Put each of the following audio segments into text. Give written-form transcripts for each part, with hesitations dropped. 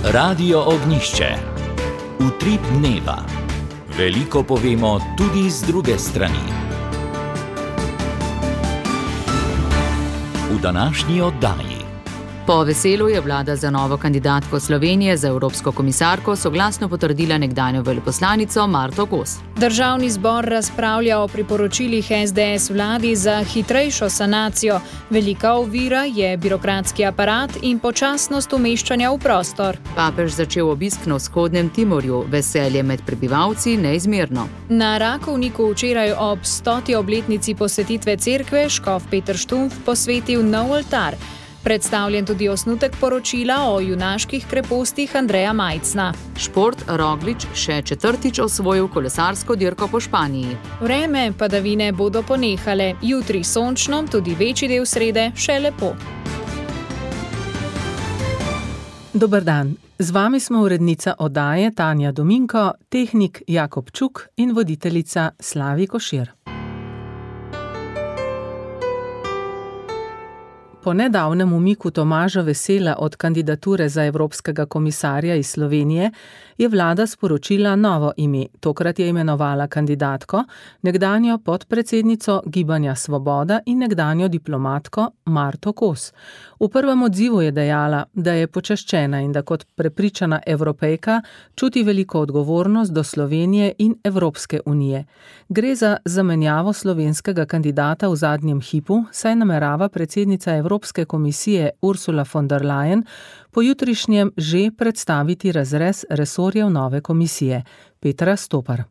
Radio Ognjišče. Utrip dneva. Veliko povemo tudi z druge strani. V današnji oddaji. Po veselu je vlada za novo kandidatko Slovenije za evropsko komisarko soglasno potrdila nekdanjo veleposlanico Marto Kos. Državni zbor razpravlja o priporočilih SDS vladi za hitrejšo sanacijo. Velika ovira je birokratski aparat in počasnost umeščanja v prostor. Papež začel obisk na vzhodnem Timorju, veselje med prebivalci neizmerno. Na Rakovniku včeraj ob 100. obletnici posvetitve cerkve škof Peter Štumpf posvetil nov oltar. Predstavljen tudi osnutek poročila o junaških krepostih Andreja Majcna. Šport, Roglič še četrtič osvojil kolesarsko dirko po Španiji. Vreme padavine bodo ponehale, jutri sončno, tudi večji del srede še lepo. Dober dan, z vami smo urednica oddaje Tanja Dominko, tehnik Jakob Čuk in voditeljica Slavi Košir. Po nedavnem umiku Tomaža Vesela od kandidature za evropskega komisarja iz Slovenije je vlada sporočila novo ime. Tokrat je imenovala kandidatko, nekdanjo podpredsednico Gibanja Svoboda in nekdanjo diplomatko Marto Kos. V prvem odzivu je dejala, da je počaščena in da kot prepričana Evropejka čuti veliko odgovornost do Slovenije in Evropske unije. Gre za zamenjavo slovenskega kandidata v zadnjem hipu, saj namerava predsednica Evropske komisije Ursula von der Leyen pojutrišnjem že predstaviti razrez resorjev nove komisije. Petra Stopar.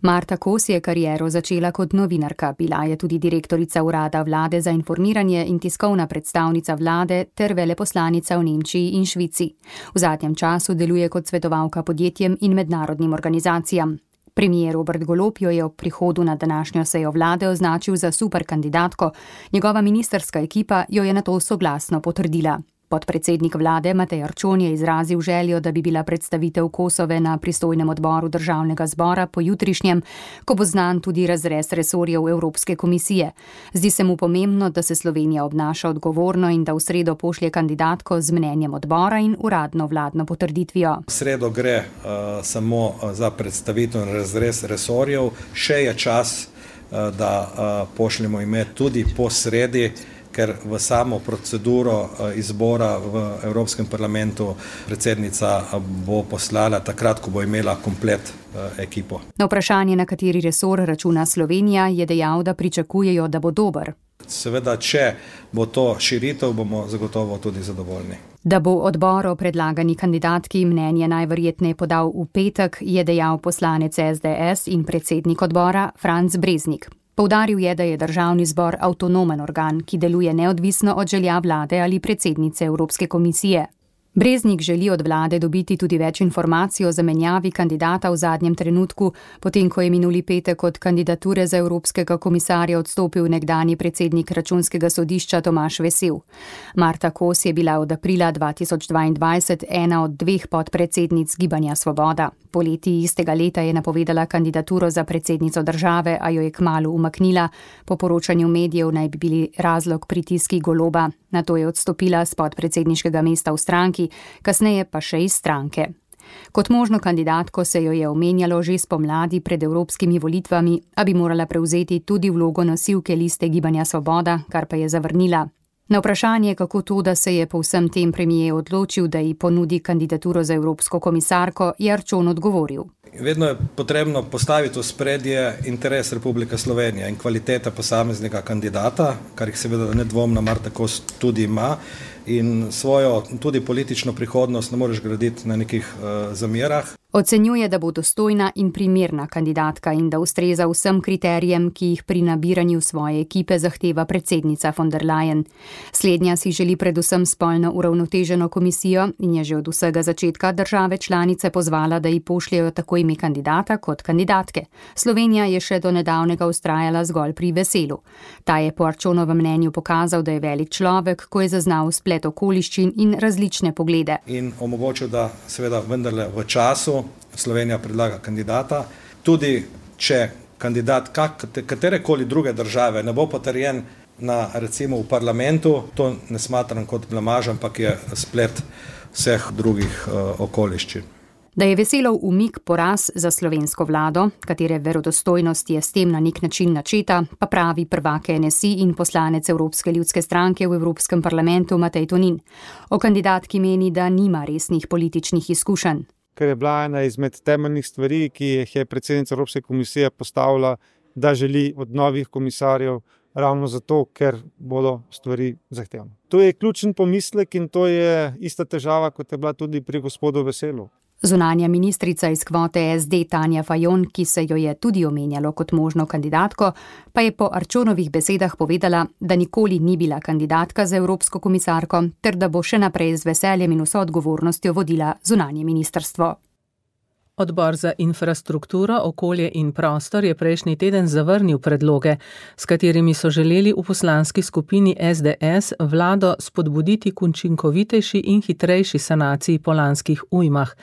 Marta Kos je kariero začela kot novinarka, bila je tudi direktorica urada vlade za informiranje in tiskovna predstavnica vlade ter veleposlanica v Nemčiji in Švici. V zadnjem času deluje kot svetovalka podjetjem in mednarodnim organizacijam. Premier Robert Golob jo je ob prihodu na današnjo sejo vlade označil za super kandidatko, njegova ministrska ekipa jo je nato soglasno potrdila. Podpredsednik vlade Matej Arčon je izrazil željo, da bi bila predstavitev Kosove na pristojnem odboru državnega zbora pojutrišnjem, ko bo znan tudi razrez resorjev Evropske komisije. Zdi se mu pomembno, da se Slovenija obnaša odgovorno in da v sredo pošlje kandidatko z mnenjem odbora in uradno vladno potrditvijo. V sredo gre samo za predstavitev in razrez resorjev, še je čas, da pošljemo ime tudi po sredi, ker v samo proceduro izbora v Evropskem parlamentu predsednica bo poslala takrat, ko bo imela komplet ekipo. Na vprašanje, na kateri resor računa Slovenija, je dejal, da pričakujejo, da bo dober. Seveda, če bo to širitev, bomo zagotovo tudi zadovoljni. Da bo odbor o predlagani kandidatki mnenje najverjetneje podal v petek, je dejal poslanec SDS in predsednik odbora Franc Breznik. Poudaril je, da je državni zbor avtonomen organ, ki deluje neodvisno od želja vlade ali predsednice Evropske komisije. Breznik želi od vlade dobiti tudi več informacij o zamenjavi kandidata v zadnjem trenutku, potem ko je minuli petek od kandidature za evropskega komisarja odstopil nekdanji predsednik Računskega sodišča Tomaž Vesel. Marta Kos je bila od aprila 2022 ena od dveh podpredsednic Gibanja Svoboda. Poleti istega leta je napovedala kandidaturo za predsednico države, a jo je kmalu umaknila. Po poročanju medijev naj bi bili razlog pritiski Goloba. Nato je odstopila s podpredsedniškega mesta v stranki, kasneje pa še iz stranke. Kot možno kandidatko se jo je omenjalo že spomladi pred evropskimi volitvami, a bi morala prevzeti tudi vlogo nosilke liste Gibanja Svoboda, kar pa je zavrnila. Na vprašanje, kako to, da se je po vsem tem premier odločil, da ji ponudi kandidaturo za evropsko komisarko, je Arčon odgovoril. Vedno je potrebno postaviti v spredje interes Republike Slovenije in kvaliteta posameznega kandidata, kar jih seveda nedvomno Marta Kos tudi ima, in svojo tudi politično prihodnost ne moreš graditi na nekih zamerah. Ocenjuje, da bo dostojna in primerna kandidatka in da ustreza vsem kriterijem, ki jih pri nabiranju svoje ekipe zahteva predsednica von der Leyen. Slednja si želi predvsem spolno uravnoteženo komisijo in je že od vsega začetka države članice pozvala, da ji pošljejo tako ime kandidata kot kandidatke. Slovenija je še do nedavnega vztrajala zgolj pri Veselu. Ta je po Arčonovem mnenju pokazal, da je velik človek, ko je zaznal splet okoliščin in različne poglede. In omogočil, da seveda vendarle v času Slovenija predlaga kandidata, tudi če kandidat katerekoli druge države ne bo potrjen, recimo v parlamentu, to ne smatram kot blamaž, ampak je splet vseh drugih okoliščin. Da je Veselov umik poraz za slovensko vlado, katere verodostojnost je s tem na nek način načeta, pa pravi prvak NSI in poslanec Evropske ljudske stranke v Evropskem parlamentu Matej Tonin. O kandidatki meni, da nima resnih političnih izkušenj. Ker je bila ena izmed temeljnih stvari, ki jih je predsednica Evropske komisije postavila, da želi od novih komisarjev ravno zato, ker bodo stvari zahtevne. To je ključen pomislek in to je ista težava, kot je bila tudi pri gospodu Veselu. Zunanja ministrica iz kvote SD Tanja Fajon, ki se jo je tudi omenjalo kot možno kandidatko, pa je po Arčonovih besedah povedala, da nikoli ni bila kandidatka za evropsko komisarko, ter da bo še naprej z veseljem in vso odgovornostjo vodila zunanje ministrstvo. Odbor za infrastrukturo, okolje in prostor je prejšnji teden zavrnil predloge, s katerimi so želeli v poslanski skupini SDS vlado spodbuditi k učinkovitejši in hitrejši sanaciji po lanskih ujmah.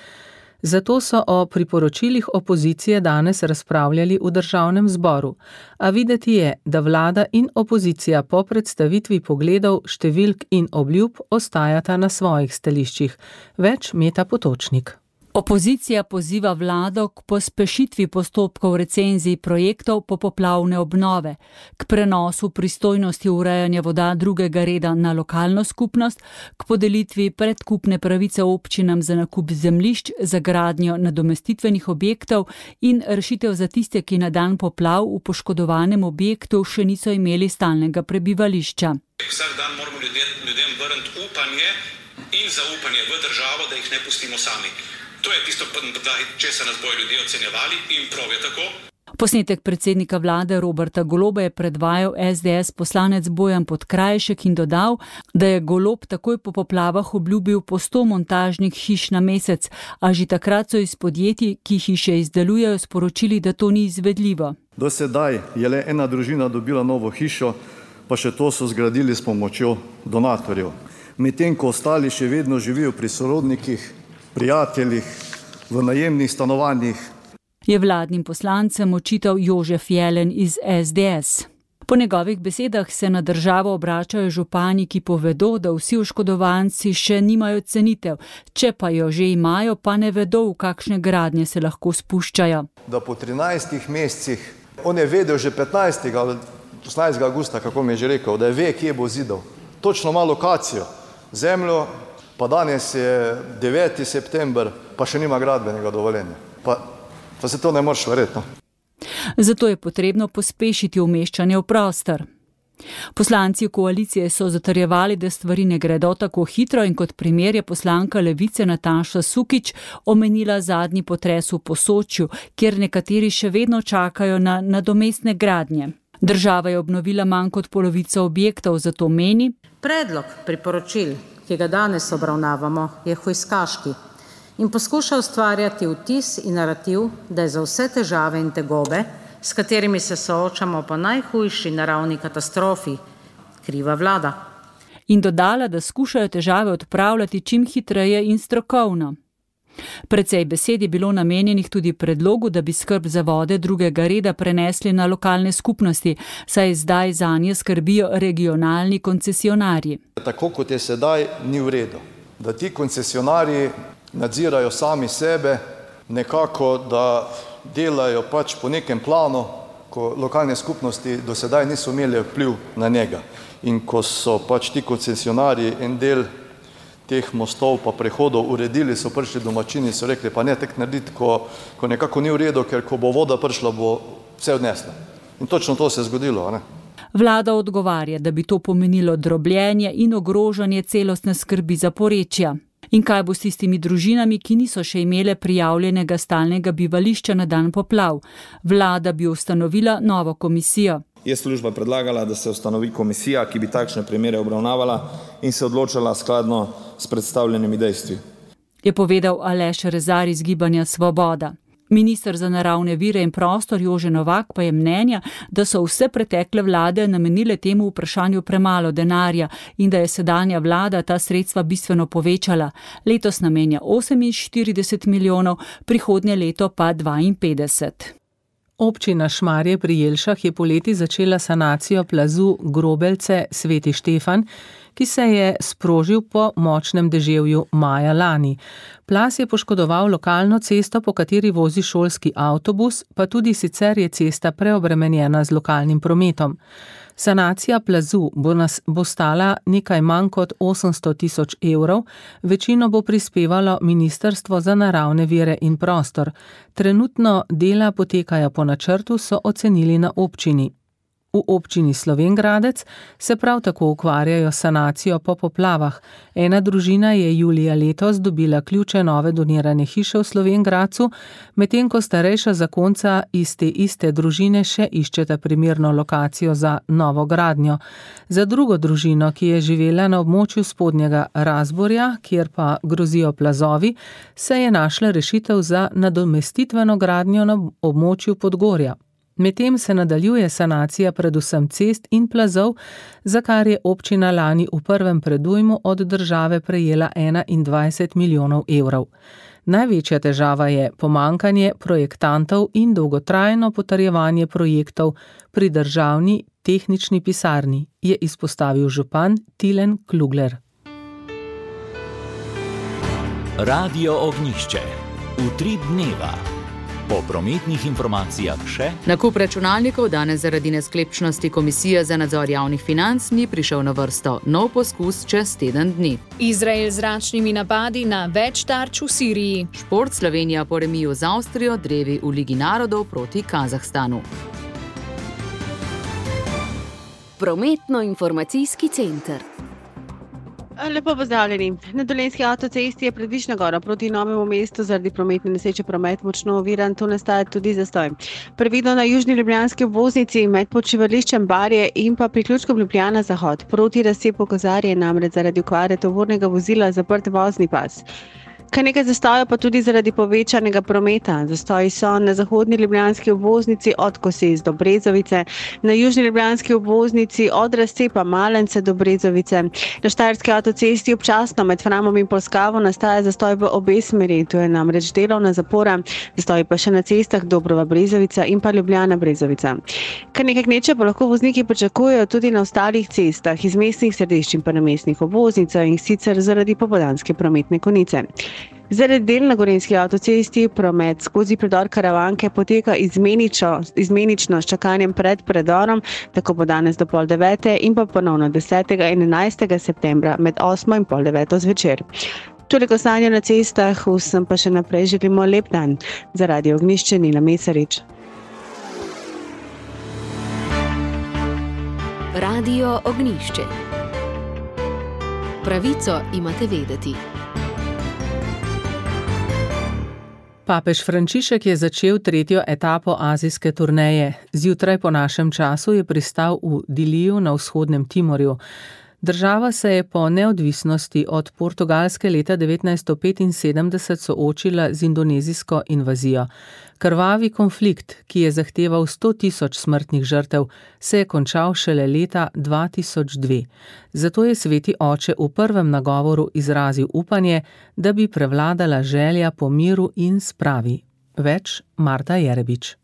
Zato so o priporočilih opozicije danes razpravljali v državnem zboru. A videti je, da vlada in opozicija po predstavitvi pogledov, številk in obljub ostajata na svojih stališčih. Več Meta Potočnik. Opozicija poziva vlado k pospešitvi postopkov recenzij projektov popoplavne obnove, k prenosu pristojnosti urejanja voda drugega reda na lokalno skupnost, k podelitvi predkupne pravice občinam za nakup zemljišč za gradnjo nadomestitvenih objektov in rešitev za tiste, ki na dan poplav v poškodovanem objektu še niso imeli stalnega prebivališča. Vsak dan moramo ljudem vrniti upanje in zaupanje v državo, da jih ne pustimo sami. To je tisto, če se nas bojo ljudje ocenjevali in prav je tako. Posnetek predsednika vlade Roberta Goloba je predvajal SDS poslanec Bojan Podkrajšek in dodal, da je Golob takoj po poplavah obljubil po 100 montažnih hiš na mesec, a že takrat so iz podjetij, ki hiše izdelujejo, sporočili, da to ni izvedljivo. Do sedaj je le ena družina dobila novo hišo, pa še to so zgradili s pomočjo donatorjev. Medtem ko ostali še vedno živijo pri sorodnikih, prijateljih, v najemnih stanovanjih. Je vladnim poslancem očital Jožef Jelen iz SDS. Po njegovih besedah se na državo obračajo župani, ki povedo, da vsi oškodovanci še nimajo cenitev, če pa jo že imajo, pa ne vedo, v kakšne gradnje se lahko spuščajo. Da po 13 mesecih, on je vedel že 15. ali 18. augusta, kako mi je že rekel, da ve, kje bo zidal. Točno ima lokacijo, zemljo, pa danes je 9. september, pa še nima gradbenega dovoljenja. Pa se to ne moreš verjetno. Zato je potrebno pospešiti umeščanje v prostor. Poslanci koalicije so zatrjevali, da stvari ne gredo tako hitro in kot primer je poslanka Levice Nataša Sukič omenila zadnji potres v Posočju, kjer nekateri še vedno čakajo na nadomestne gradnje. Država je obnovila manj kot polovico objektov, zato meni: predlog priporočil, ki ga danes obravnavamo, je hujskaški in poskuša ustvarjati vtis in narativ, da je za vse težave in tegobe, s katerimi se soočamo po najhujši naravni katastrofi, kriva vlada. In dodala, da skušajo težave odpravljati čim hitreje in strokovno. Precej besed je bilo namenjenih tudi predlogu, da bi skrb za vode drugega reda prenesli na lokalne skupnosti, saj zdaj zanje skrbijo regionalni koncesionarji. Tako kot je sedaj, ni v redu, da ti koncesionarji nadzirajo sami sebe, nekako da delajo pač po nekem planu, ko lokalne skupnosti do sedaj niso imeli vpliv na njega. In ko so pač ti koncesionarji en del teh mostov pa prehodov uredili, so prišli domačini, so rekli, pa ne tek narediti, ko nekako ni v redu, ker ko bo voda prišla, bo vse odnesla. In točno to se je zgodilo, ne? Vlada odgovarja, da bi to pomenilo drobljenje in ogrožanje celostne skrbi za porečja. In kaj bo s tistimi družinami, ki niso še imele prijavljenega stalnega bivališča na dan poplav? Vlada bi ustanovila novo komisijo. Je služba predlagala, da se ustanovi komisija, ki bi takšne primere obravnavala in se odločala skladno s predstavljenimi dejstvi. Je povedal Aleš Rezar iz Gibanja Svoboda. Minister za naravne vire in prostor Jože Novak pa je mnenja, da so vse pretekle vlade namenile temu vprašanju premalo denarja in da je sedanja vlada ta sredstva bistveno povečala. Letos namenja 48 milijonov, prihodnje leto pa 52. Občina Šmarje pri Jelšah je poleti začela sanacijo plazu Grobelce Sveti Štefan, ki se je sprožil po močnem deževju maja lani. Plaz je poškodoval lokalno cesto, po kateri vozi šolski avtobus, pa tudi sicer je cesta preobremenjena z lokalnim prometom. Sanacija plazu bo stala nekaj manj kot 800 tisoč evrov, večino bo prispevalo Ministrstvo za naravne vire in prostor. Trenutno dela potekajo po načrtu, so ocenili na občini. V občini Slovenj Gradec se prav tako ukvarjajo s sanacijo po poplavah. Ena družina je julija letos dobila ključe nove donirane hiše v Slovenj Gradcu, medtem ko starejša zakonca iz te iste družine še iščeta primerno lokacijo za novo gradnjo. Za drugo družino, ki je živela na območju Spodnjega Razborja, kjer pa grozijo plazovi, se je našla rešitev za nadomestitveno gradnjo na območju Podgorja. Medtem se nadaljuje sanacija predvsem cest in plazov, za kar je občina lani v prvem predujmu od države prejela 21 milijonov evrov. Največja težava je pomanjkanje projektantov in dolgotrajno potrjevanje projektov pri državni tehnični pisarni, je izpostavil župan Tilen Klugler. Radio Ognjišče. Utrip dneva. Po prometnih informacijah še. Nakup računalnikov danes zaradi nesklepčnosti Komisije za nadzor javnih financ ni prišel na vrsto. Nov poskus čez teden dni. Izrael z zračnimi napadi na več tarč v Siriji. Šport, Slovenija po remiju z Avstrijo, drevi v Ligi narodov proti Kazahstanu. Prometno-informacijski center. Lepo pozdravljeni. Na Dolenjski avtocesti je pred Višnjo goro proti Novemu mestu zaradi prometne nesreče promet močno oviran, tu nastaja tudi zastoj. Previdno na južni ljubljanski obvoznici med počivališčem Barje in pa priključkom Ljubljana Zahod. Proti razcepu Kozarje je namreč zaradi okvare tovornega vozila zaprt vozni pas. Kar nekaj zastojev pa tudi zaradi povečanega prometa. Zastoji so na zahodni ljubljanski obvoznici od Kosez do Brezovice, na južni ljubljanski obvoznici od razcepa Malence do Brezovice. Na Štajerski avtocesti občasno med Framom in Polskavo nastaja zastoj v obe smeri, to je namreč delovna zapora, zastoji pa še na cestah Dobrova Brezovica in pa Ljubljana Brezovica. Kar nekaj gneče pa lahko vozniki pričakujejo tudi na ostalih cestah iz mestnih središč in pa na mestnih obvoznicah in sicer zaradi popoldanske prometne konice. Zaradi del na Gorenjski avtocesti promet skozi predor Karavanke poteka izmenično s čakanjem pred predorom, tako bo danes do 8:30 in pa ponovno 10. in 11. septembra med 8 in 8:30 zvečer. Toliko stanja na cestah, vsem pa še naprej želimo lep dan. Za Radio Ognjišče Nina Mesarič. Radio Ognjišče. Pravico imate vedeti. Papež Frančišek je začel tretjo etapo azijske turneje. Zjutraj po našem času je pristal v Diliju na vzhodnem Timorju. Država se je po neodvisnosti od Portugalske leta 1975 soočila z indonezijsko invazijo. Krvavi konflikt, ki je zahteval 100 tisoč smrtnih žrtev, se je končal šele leta 2002. Zato je sveti oče v prvem nagovoru izrazil upanje, da bi prevladala želja po miru in spravi. Več Marta Jerebič.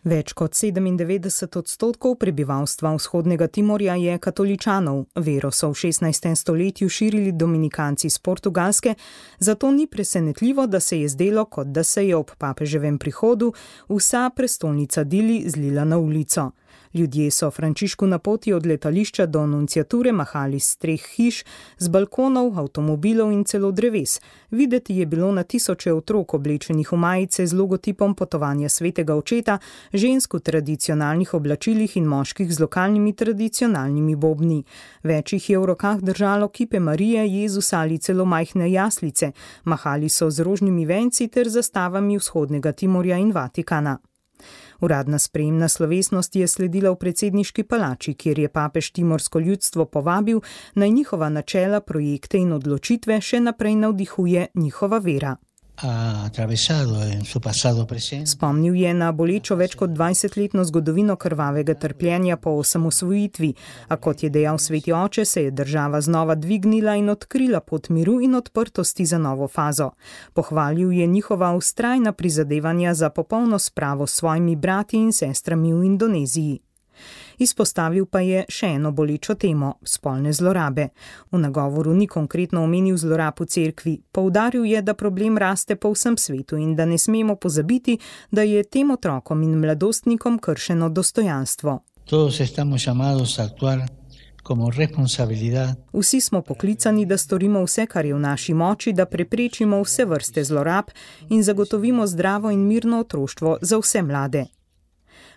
Več kot 97% prebivalstva vzhodnega Timorja je katoličanov. Vero so v 16. stoletju širili dominikanci z Portugalske, zato ni presenetljivo, da se je zdelo, kot da se je ob papeževem prihodu vsa prestolnica Dili zlila na ulico. Ljudje so Frančišku na poti od letališča do nunciature mahali s 3 hiš, z balkonov, avtomobilov in celo dreves. Videti je bilo na tisoče otrok oblečenih v majice z logotipom potovanja svetega očeta, žensk v tradicionalnih oblačilih in moških z lokalnimi tradicionalnimi bobni. Več jih je v rokah držalo kipe Marije, Jezusa ali celo majhne jaslice. Mahali so z rožnimi venci ter zastavami vzhodnega Timorja in Vatikana. Uradna sprejemna slovesnost je sledila v predsedniški palači, kjer je papež timorsko ljudstvo povabil, naj njihova načela, projekte in odločitve še naprej navdihuje njihova vera. Spomnil je na bolečo več kot 20-letno zgodovino krvavega trpljenja po osamosvojitvi, a kot je dejal sveti oče, se je država znova dvignila in odkrila pot miru in odprtosti za novo fazo. Pohvalil je njihova vztrajna prizadevanja za popolno spravo s svojimi brati in sestrami v Indoneziji. Izpostavil pa je še eno bolečo temo – spolne zlorabe. V nagovoru ni konkretno omenil zlorab v cerkvi. Poudaril je, da problem raste po vsem svetu in da ne smemo pozabiti, da je tem otrokom in mladostnikom kršeno dostojanstvo. Vsi smo poklicani, da storimo vse, kar je v naši moči, da preprečimo vse vrste zlorab in zagotovimo zdravo in mirno otroštvo za vse mlade.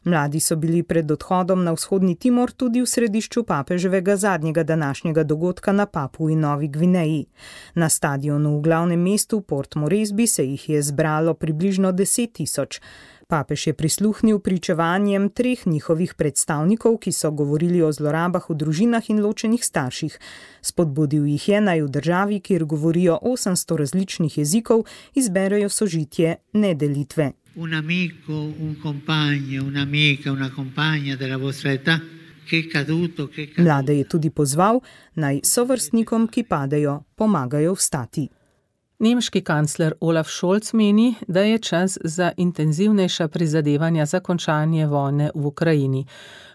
Mladi so bili pred odhodom na vzhodni Timor tudi v središču papeževega zadnjega današnjega dogodka na Papui Novi Gvineji. Na stadionu v glavnem mestu Port Moresby se jih je zbralo približno 10 000. Papež je prisluhnil pričevanjem 3 njihovih predstavnikov, ki so govorili o zlorabah v družinah in ločenih starših. Spodbudil jih je, naj v državi, kjer govorijo 800 različnih jezikov, izberejo sožitje, ne delitve. Un amico, un compagno, un'amica, una compagna della vostra età che è caduto. Mlade je tudi pozval, naj sovrstnikom, ki padejo, pomagajo vstati. Nemški kancler Olaf Scholz meni, da je čas za intenzivnejša prizadevanja za končanje vojne v Ukrajini.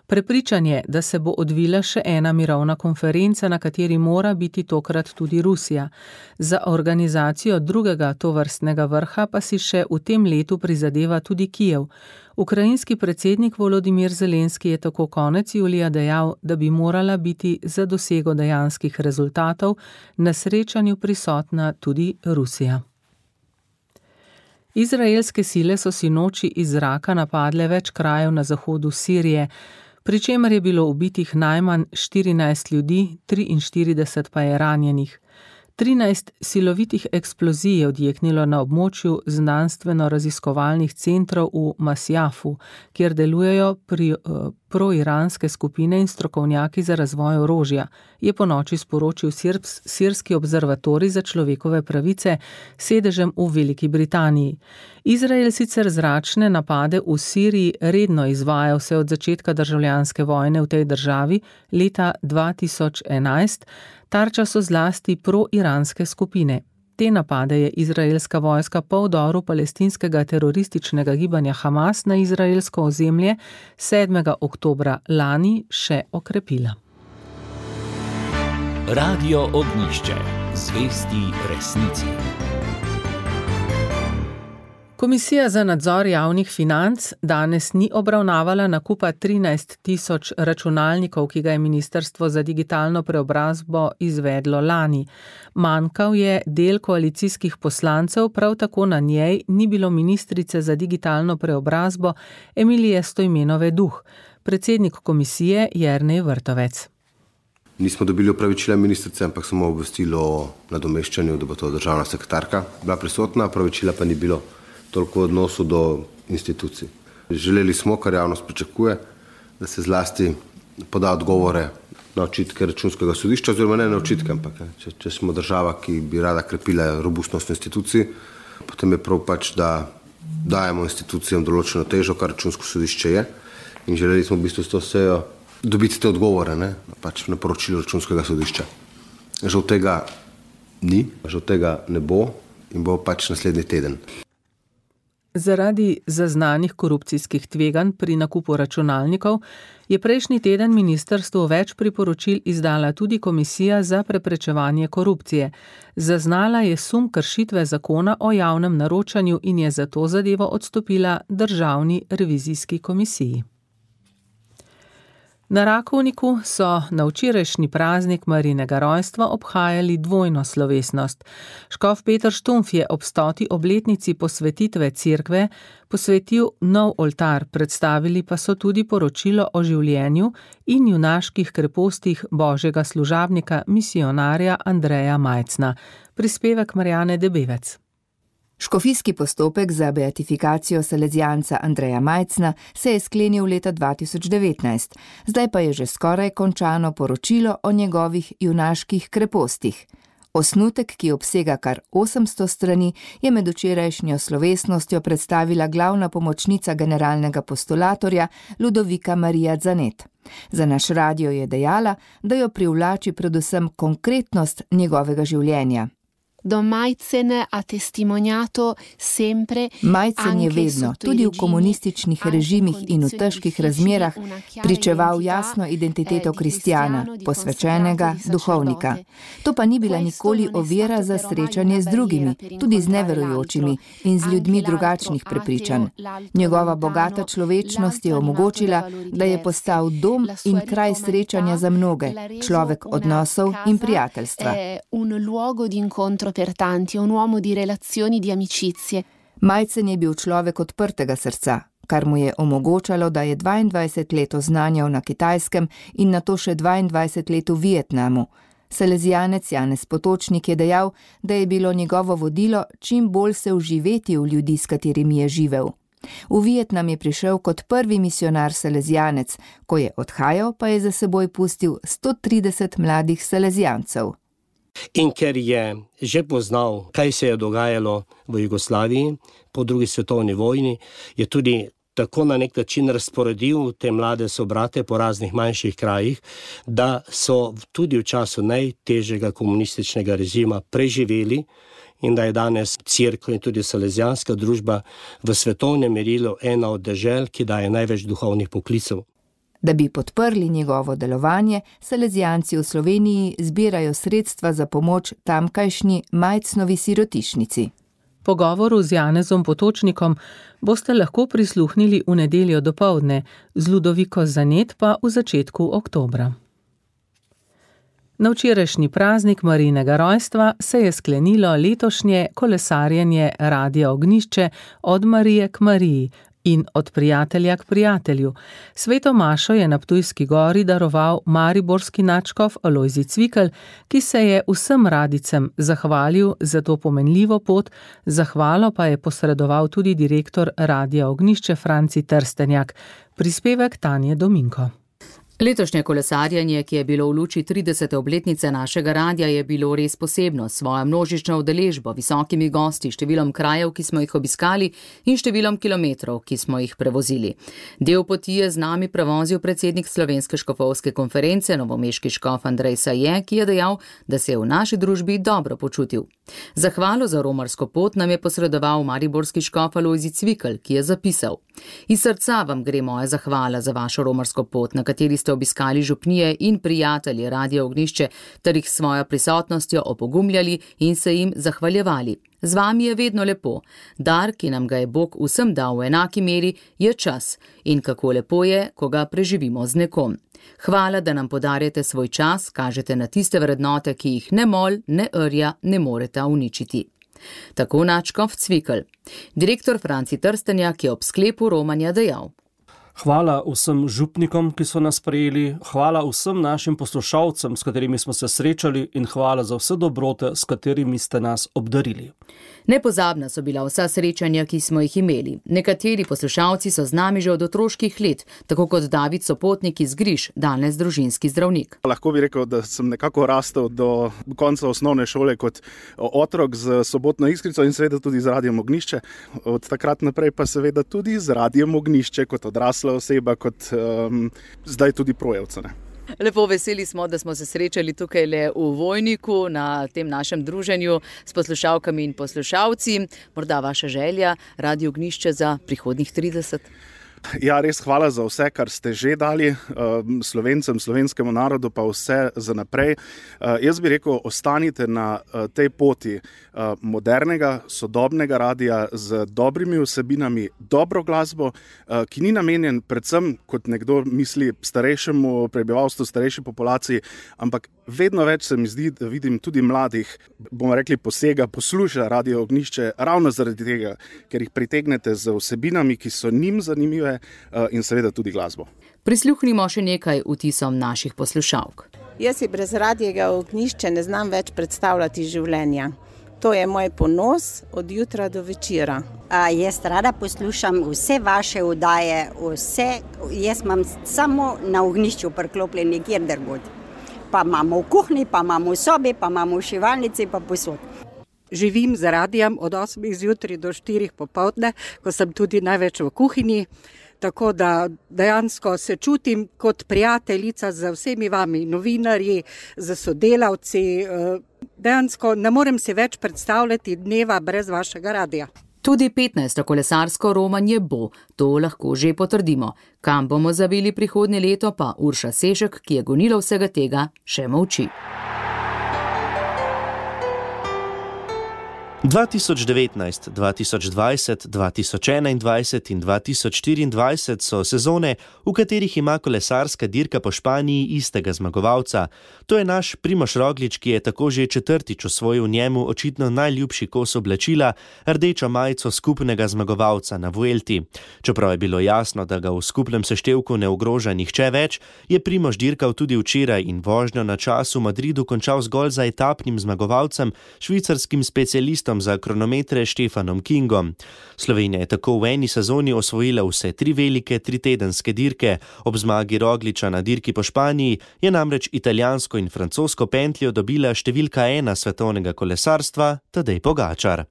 Prepričan je, da se bo odvila še ena mirovna konferenca, na kateri mora biti tokrat tudi Rusija. Za organizacijo drugega tovrstnega vrha pa si še v tem letu prizadeva tudi Kijev. Ukrajinski predsednik Volodimir Zelenski je tako konec julija dejal, da bi morala biti za dosego dejanskih rezultatov na srečanju prisotna tudi Rusija. Izraelske sile so sinoči iz zraka napadle več krajev na zahodu Sirije, pri čemer je bilo ubitih najmanj 14 ljudi, 43 pa je ranjenih. 13 silovitih eksplozij je odjeknilo na območju znanstveno-raziskovalnih centrov v Masjafu, kjer delujejo proiranske skupine in strokovnjaki za razvoj orožja, je ponoči sporočil Sirski observatorij za človekove pravice s sedežem v Veliki Britaniji. Izrael sicer zračne napade v Siriji redno izvaja vse od začetka državljanske vojne v tej državi leta 2011, tarča so zlasti proiranske skupine. Te napade je izraelska vojska po vdoru palestinskega terorističnega gibanja Hamas na izraelsko ozemlje 7. oktobra lani še okrepila. Radio Ognjišče. Zvesti resnici. Komisija za nadzor javnih financ danes ni obravnavala nakupa 13 000 računalnikov, ki ga je Ministrstvo za digitalno preobrazbo izvedlo lani. Manjkal je del koalicijskih poslancev, prav tako na njej ni bilo ministrice za digitalno preobrazbo Emilije Stojmenove Duh. Predsednik komisije Jernej Vrtovec. Nismo dobili opravičila ministrice, ampak samo obvestilo o nadomeščanju, da bo to državna sekretarka bila prisotna, opravičila pa ni bilo. Toliko v odnosu do institucij. Želeli smo, kar javnost pričakuje, da se zlasti poda odgovore na očitke Računskega sodišča, oziroma ne na očitke, ampak če smo država, ki bi rada krepila robustnost institucij, potem je prav pač, da dajemo institucijam določeno težo, kar Računsko sodišče je, in želeli smo v bistvu s to sejo dobiti te odgovore, pač na poročilo Računskega sodišča. Žal tega ni, žal tega ne bo in bo pač naslednji teden. Zaradi zaznanih korupcijskih tveganj pri nakupu računalnikov je prejšnji teden ministrstvu več priporočil izdala tudi Komisija za preprečevanje korupcije. Zaznala je sum kršitve zakona o javnem naročanju in je zato zadevo odstopila Državni revizijski komisiji. Na Rakovniku so na včerajšnji praznik Marijinega rojstva obhajali dvojno slovesnost. Škof Peter Štumpf je ob 100. obletnici posvetitve cerkve posvetil nov oltar, predstavili pa so tudi poročilo o življenju in junaških krepostih božjega služabnika, misionarja Andreja Majcna. Prispevek Marjane Debevec. Škofijski postopek za beatifikacijo salezijanca Andreja Majcna se je sklenil leta 2019, zdaj pa je že skoraj končano poročilo o njegovih junaških krepostih. Osnutek, ki obsega kar 800 strani, je med včerajšnjo slovesnostjo predstavila glavna pomočnica generalnega postulatorja Ludovika Marija Zanet. Za naš radio je dejala, da jo privlači predvsem konkretnost njegovega življenja. Majcen je vedno, tudi v komunističnih režimih in v težkih razmerah, pričeval jasno identiteto kristjana, posvečenega duhovnika. To pa ni bila nikoli ovira za srečanje z drugimi, tudi z neverujočimi in z ljudmi drugačnih prepričanj. Njegova bogata človečnost je omogočila, da je postal dom in kraj srečanja za mnoge, človek odnosov in prijateljstva. Per tanti, un uomo di relazioni, di amicizie. Majcen je bil človek odprtega srca, kar mu je omogočalo, da je 22 let oznanjal na Kitajskem in nato še 22 let v Vietnamu. Salezijanec Janez Potočnik je dejal, da je bilo njegovo vodilo čim bolj se vživeti v ljudi, s katerimi je živel. V Vietnam je prišel kot prvi misionar salezijanec, ko je odhajal, pa je za seboj pustil 130 mladih salezijancev. In ker je že poznal, kaj se je dogajalo v Jugoslaviji po drugi svetovni vojni, je tudi tako na nek način razporedil te mlade sobrate po raznih manjših krajih, da so tudi v času najtežjega komunističnega režima preživeli in da je danes cerkev in tudi salezijanska družba v svetovnem merilu ena od dežel, ki daje največ duhovnih poklicev. Da bi podprli njegovo delovanje, salezijanci v Sloveniji zbirajo sredstva za pomoč tamkajšnji Majcnovi sirotišnici. Pogovoru z Janezom Potočnikom boste lahko prisluhnili v nedeljo dopoldne, z Ludoviko Zanet pa v začetku oktobra. Na včerajšnji praznik Marijinega rojstva se je sklenilo letošnje kolesarjenje Radia Ognjišče od Marije k Mariji in od prijatelja k prijatelju. Sveto mašo je na Ptujski gori daroval mariborski nadškof Alojzij Cvikl, ki se je vsem radicem zahvalil za to pomenljivo pot, zahvalo pa je posredoval tudi direktor Radia Ognjišče Franci Trstenjak. Prispevek Tanje Dominko. Letošnje kolesarjenje, ki je bilo v luči 30. obletnice našega radia, je bilo res posebno, s svojo množično udeležbo, visokimi gosti, številom krajev, ki smo jih obiskali in številom kilometrov, ki smo jih prevozili. Del poti je z nami prevozil predsednik Slovenske škofovske konference, novomeški škof Andrej Saje, ki je dejal, da se je v naši družbi dobro počutil. Zahvalo za romarsko pot nam je posredoval mariborski škof Alojzij Cvikl, ki je zapisal: Iz srca vam gre moja zahvala za vašo romarsko pot, na kateri ste obiskali župnije in prijatelji Radia Ognjišče ter jih s svojo prisotnostjo opogumljali in se jim zahvaljevali. Z vami je vedno lepo. Dar, ki nam ga je Bog vsem dal v enaki meri, je čas in kako lepo je, ko ga preživimo z nekom. Hvala, da nam podarjate svoj čas, kažete na tiste vrednote, ki jih ne mol, ne rja ne moreta uničiti. Tako nadškof Cvikl. Direktor Franci Trstenjak je ob sklepu romanja dejal: Hvala vsem župnikom, ki so nas sprejeli, hvala vsem našim poslušalcem, s katerimi smo se srečali, in hvala za vse dobrote, s katerimi ste nas obdarili. Nepozabna so bila vsa srečanja, ki smo jih imeli. Nekateri poslušalci so z nami že od otroških let, tako kot David Sopotnik iz Griž, danes družinski zdravnik. Lahko bi rekel, da sem nekako rastel do konca osnovne šole kot otrok z Sobotno Iskrico in seveda tudi z Radijem Ognjišče. Od takrat naprej pa seveda tudi z Radijem Ognjišče kot odrasla oseba, kot zdaj tudi projevca. Lepo veseli smo, da smo se srečali tukaj le v Vojniku na tem našem druženju s poslušalkami in poslušalci. Morda vaša želja, Radio Ognjišče za prihodnjih 30? Ja, res hvala za vse, kar ste že dali Slovencem, slovenskemu narodu, pa vse za naprej. Jaz bi rekel, ostanite na tej poti modernega, sodobnega radia z dobrimi vsebinami, dobro glasbo, ki ni namenjen predvsem, kot nekdo misli, starejšemu prebivalstvu, starejši populaciji, ampak vedno več se mi zdi, da vidim tudi mladih, bomo rekli, posluša Radio Ognjišče ravno zaradi tega, ker jih pritegnete z vsebinami, ki so njim zanimive, in seveda tudi glasbo. Prisluhnimo še nekaj vtisom naših poslušalk. Jaz si brez Radia Ognjišče ne znam več predstavljati življenja. To je moj ponos od jutra do večera. Jaz rada poslušam vse vaše oddaje, jaz imam samo na Ognjišču priklopljen nikjer drugod. pa imamo v kuhinji, pa imamo v sobi, pa imamo v šivalnici, pa posod. Živim z radijem od 8 zjutraj do 4 popoldne, ko sem tudi največ v kuhinji. Tako da dejansko se čutim kot prijateljica z vsemi vami, novinarji, z sodelavci. Dejansko ne morem si več predstavljati dneva brez vašega radija. Tudi 15. kolesarsko romanje bo, to lahko že potrdimo. Kam bomo zavili prihodnje leto, pa Urša Sešek, ki je gonilo vsega tega, še molči. 2019, 2020, 2021 in 2024 so sezone, v katerih ima kolesarska dirka po Španiji istega zmagovalca. To je naš Primož Roglič, ki je tako že četrtič osvojil njemu očitno najljubši kos oblačila, rdečo majico skupnega zmagovalca na Vuelti. Čeprav je bilo jasno, da ga v skupnem seštevku ne ogroža nihče več, je Primož dirkal tudi včeraj in vožnjo na čas v Madridu končal zgolj za etapnim zmagovalcem, švicarskim specialistom za kronometre Stefanom Kingom. Slovenija je tako v eni sezoni osvojila vse 3 velike 3-tedenske dirke. Ob zmagi Rogliča na dirki po Španiji je namreč italijansko in francosko pentljo dobila številka 1 svetovnega kolesarstva Tadej Pogačar.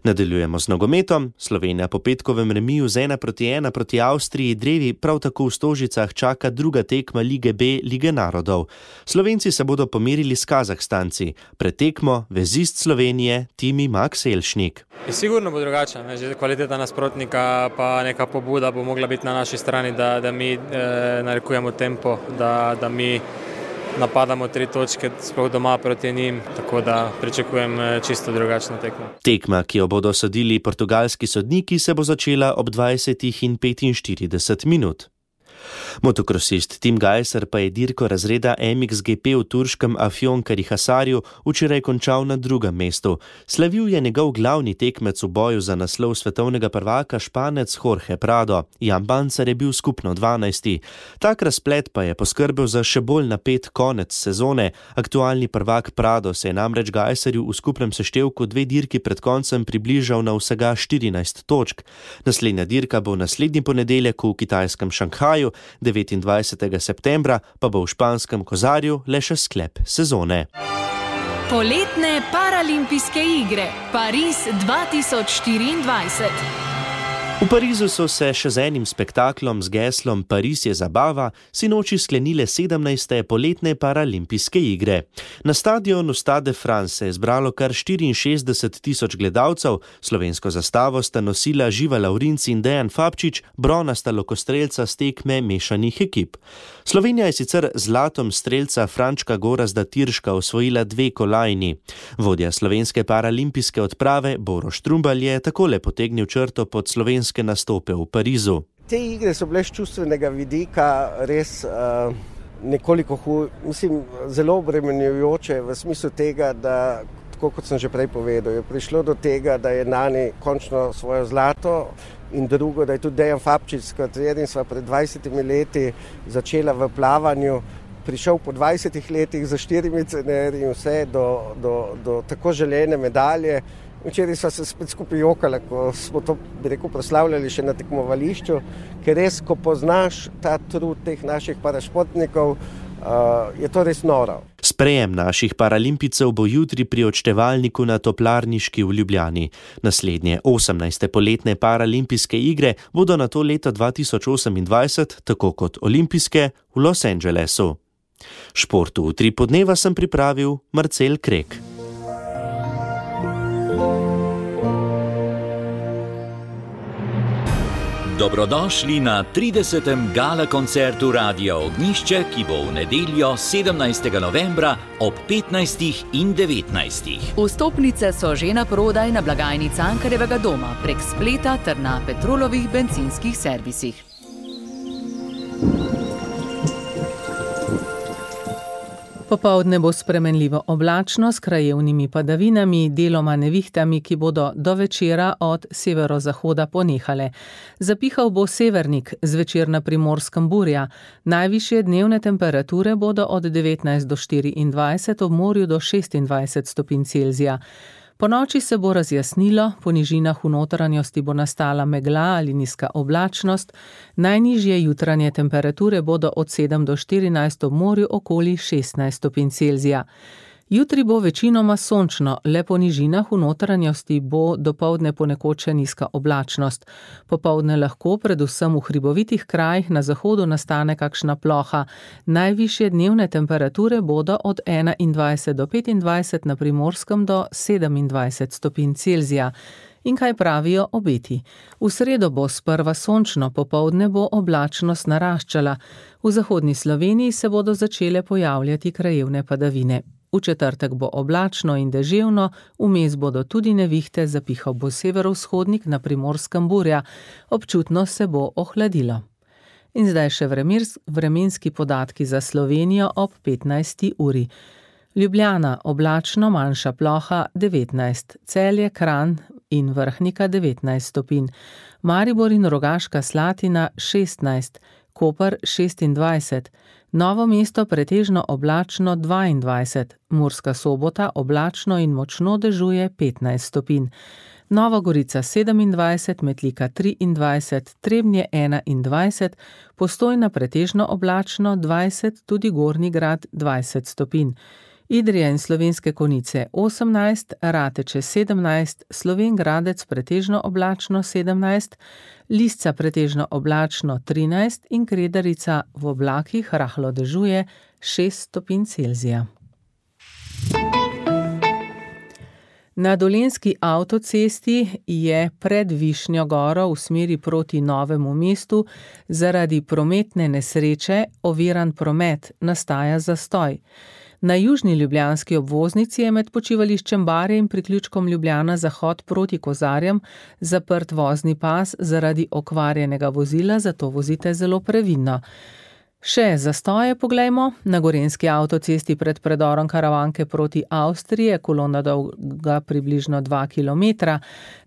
Nadaljujemo z nogometom. Slovenija po petkovem remiju z 1-1 proti Avstriji drevi prav tako v Stožicah čaka druga tekma Lige B Lige narodov. Slovenci se bodo pomerili s Kazahstanci. Pred tekmo vezist Slovenije Timi Max Elšnik. Sigurno bo drugače, že kvaliteta nasprotnika pa neka pobuda bo mogla biti na naši strani, da mi narekujemo tempo, da mi napadamo 3 točke, sploh doma proti njim, tako da pričakujem čisto drugačno tekmo. Tekma, ki jo bodo sodili portugalski sodniki, se bo začela ob 20:45 minut. Motokrosist Tim Gajser pa je dirko razreda MXGP v turškem Afjonkari-Hasarju včeraj končal na 2. mestu. Slavil je njegov glavni tekmec v boju za naslov svetovnega prvaka Španec Jorge Prado. Jan Bancar je bil skupno 12. Tak razplet pa je poskrbel za še bolj napet konec sezone. Aktualni prvak Prado se je namreč Gajserju v skupnem seštevku 2 dirki pred koncem približal na vsega 14 točk. Naslednja dirka bo naslednji ponedeljek v kitajskem Šanghaju, 29. septembra pa bo v španskem Kozarju le še sklep sezone. Poletne paralimpijske igre Pariz 2024. V Parizu so se še z enim spektaklom z geslom Pariz je zabava sinoči sklenile 17. poletne paralimpijske igre. Na stadionu Stade de France se je zbralo kar 64.000 gledalcev, slovensko zastavo sta nosila Živa Lavrinc in Dejan Fabčič, bronasta lokostrelca s tekme mešanih ekip. Slovenija je sicer zlatom strelca Frančka Gorazda Tirška osvojila 2 kolajni. Vodja slovenske paralimpijske odprave Boro Štrumbal je takole potegnil črto pod slovenske nastope v Parizu. Te igre so bile z čustvenega vidika res nekoliko zelo obremenjujoče v smislu tega, da, tako kot sem že prej povedal, je prišlo do tega, da je Nani končno svojo zlato in drugo, da je tudi Dejan Fabčič, s katerim sva pred 20 leti začela v plavanju, prišel po 20 letih za 4 cenerji in vse do tako želene medalje. Včeraj sva se spet skupaj jokala, ko smo to, proslavljali še na tekmovališču, ker res, ko poznaš ta trud teh naših parašportnikov, je to res noro. Sprejem naših paralimpicev bo jutri pri odštevalniku na Toplarniški v Ljubljani. Naslednje 18. poletne paralimpijske igre bodo na to leto 2028, tako kot olimpijske, v Los Angelesu. Športu v 3 podneva sem pripravil Marcel Krek. Dobrodošli na 30. gala koncertu Radia Ognjišče, ki bo v nedeljo 17. novembra ob 15. in 19. Vstopnice so že na prodaj na blagajni Cankarjevega doma prek spleta ter na Petrolovih bencinskih servisih. Popoldne bo spremenljivo oblačno s krajevnimi padavinami, deloma nevihtami, ki bodo do večera od severozahoda ponehale. Zapihal bo severnik, zvečer na Primorskem burja. Najvišje dnevne temperature bodo od 19 do 24, ob morju do 26 stopinj Celzija. Po noči se bo razjasnilo, po nižinah v notranjosti bo nastala megla ali nizka oblačnost, najnižje jutranje temperature bodo od 7 do 14 ob morju okoli 16 stopinj Celzija. Jutri bo večinoma sončno, le po nižinah v notranjosti bo dopoldne ponekod še nizka oblačnost. Popoldne lahko, predvsem v hribovitih krajih na zahodu nastane kakšna ploha. Najvišje dnevne temperature bodo od 21 do 25, na Primorskem do 27 stopinj Celzija. In kaj pravijo obeti? V sredo bo sprva sončno, popoldne bo oblačnost naraščala. V zahodni Sloveniji se bodo začele pojavljati krajevne padavine. V četrtek bo oblačno in deževno, vmes bodo tudi nevihte, zapihal bo severovzhodnik, na Primorskem burja, občutno se bo ohladilo. In zdaj še vremenski podatki za Slovenijo ob 15. uri. Ljubljana oblačno, manjša ploha 19, Celje, Kranj in Vrhnika 19 stopinj, Maribor in Rogaška Slatina 16, Koper 26, Novo mesto pretežno oblačno 22, Murska Sobota oblačno in močno dežuje 15 stopinj, Nova Gorica 27, Metlika 23, Trebnje 21, Postojna pretežno oblačno 20, tudi Gornji Grad 20 stopinj, Idrija in Slovenske Konjice 18, Rateče 17, Slovenj Gradec pretežno oblačno 17, Lisca pretežno oblačno 13 in Kredarica v oblakih rahlo dežuje 6 stopinj Celzija. Na Dolenjski avtocesti je pred Višnjo goro v smeri proti Novemu mestu zaradi prometne nesreče oviran promet, nastaja zastoj. Na južni ljubljanski obvoznici je med počivališčem Barje in priključkom Ljubljana Zahod proti Kozarjem zaprt vozni pas zaradi okvarjenega vozila, zato vozite zelo previdno. Še zastoje poglejmo. Na Gorenjski avtocesti pred predorom Karavanke proti Avstriji, kolona dolga približno 2 km,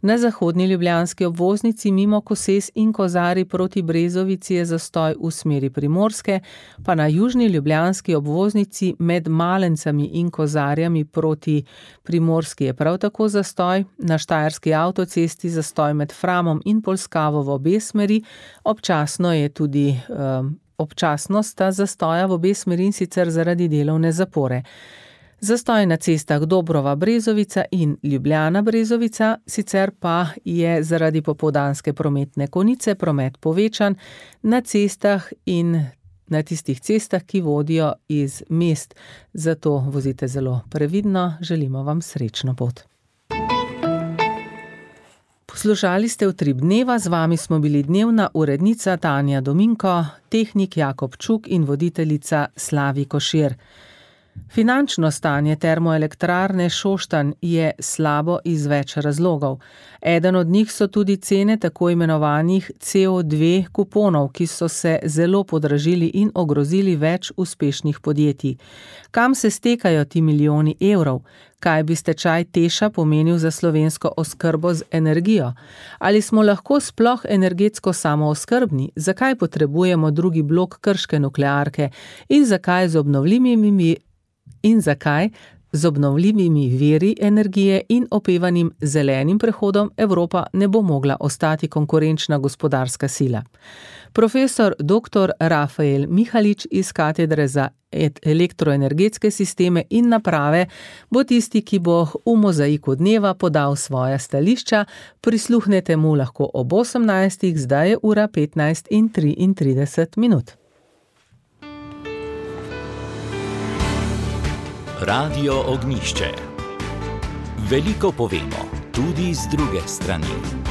na zahodni ljubljanski obvoznici mimo Koses in Kozarij proti Brezovici je zastoj v smeri Primorske, pa na južni ljubljanski obvoznici med Malencami in Kozarjami proti Primorski je prav tako zastoj, na Štajerski avtocesti zastoj med Framom in Polskavo v obe smeri, občasno sta zastoja v obe smeri in sicer zaradi delovne zapore. Zastoj na cestah Dobrova-Brezovica in Ljubljana-Brezovica, sicer pa je zaradi popoldanske prometne konice promet povečan na cestah in na tistih cestah, ki vodijo iz mest. Zato vozite zelo previdno, želimo vam srečno pot. Poslušali ste Utrip dneva, z vami smo bili dnevna urednica Tanja Dominko, tehnik Jakob Čuk in voditeljica Slavi Košir. Finančno stanje termoelektrarne Šoštanj je slabo iz več razlogov. Eden od njih so tudi cene tako imenovanih CO2 kuponov, ki so se zelo podražili in ogrozili več uspešnih podjetij. Kam se stekajo ti milijoni evrov? Kaj bi stečaj Teša pomenil za slovensko oskrbo z energijo? Ali smo lahko sploh energetsko samooskrbni? Zakaj potrebujemo drugi blok krške nuklearke? In zakaj z obnovljivimi viri energije in opevanim zelenim prehodom Evropa ne bo mogla ostati konkurenčna gospodarska sila? Profesor dr. Rafael Mihalič iz katedre za elektroenergetske sisteme in naprave bo tisti, ki bo v mozaiku dneva podal svoja stališča. Prisluhnete mu lahko ob 18. Zdaj je ura 15:33. Radio Ognjišče. Veliko povemo, tudi z druge strani.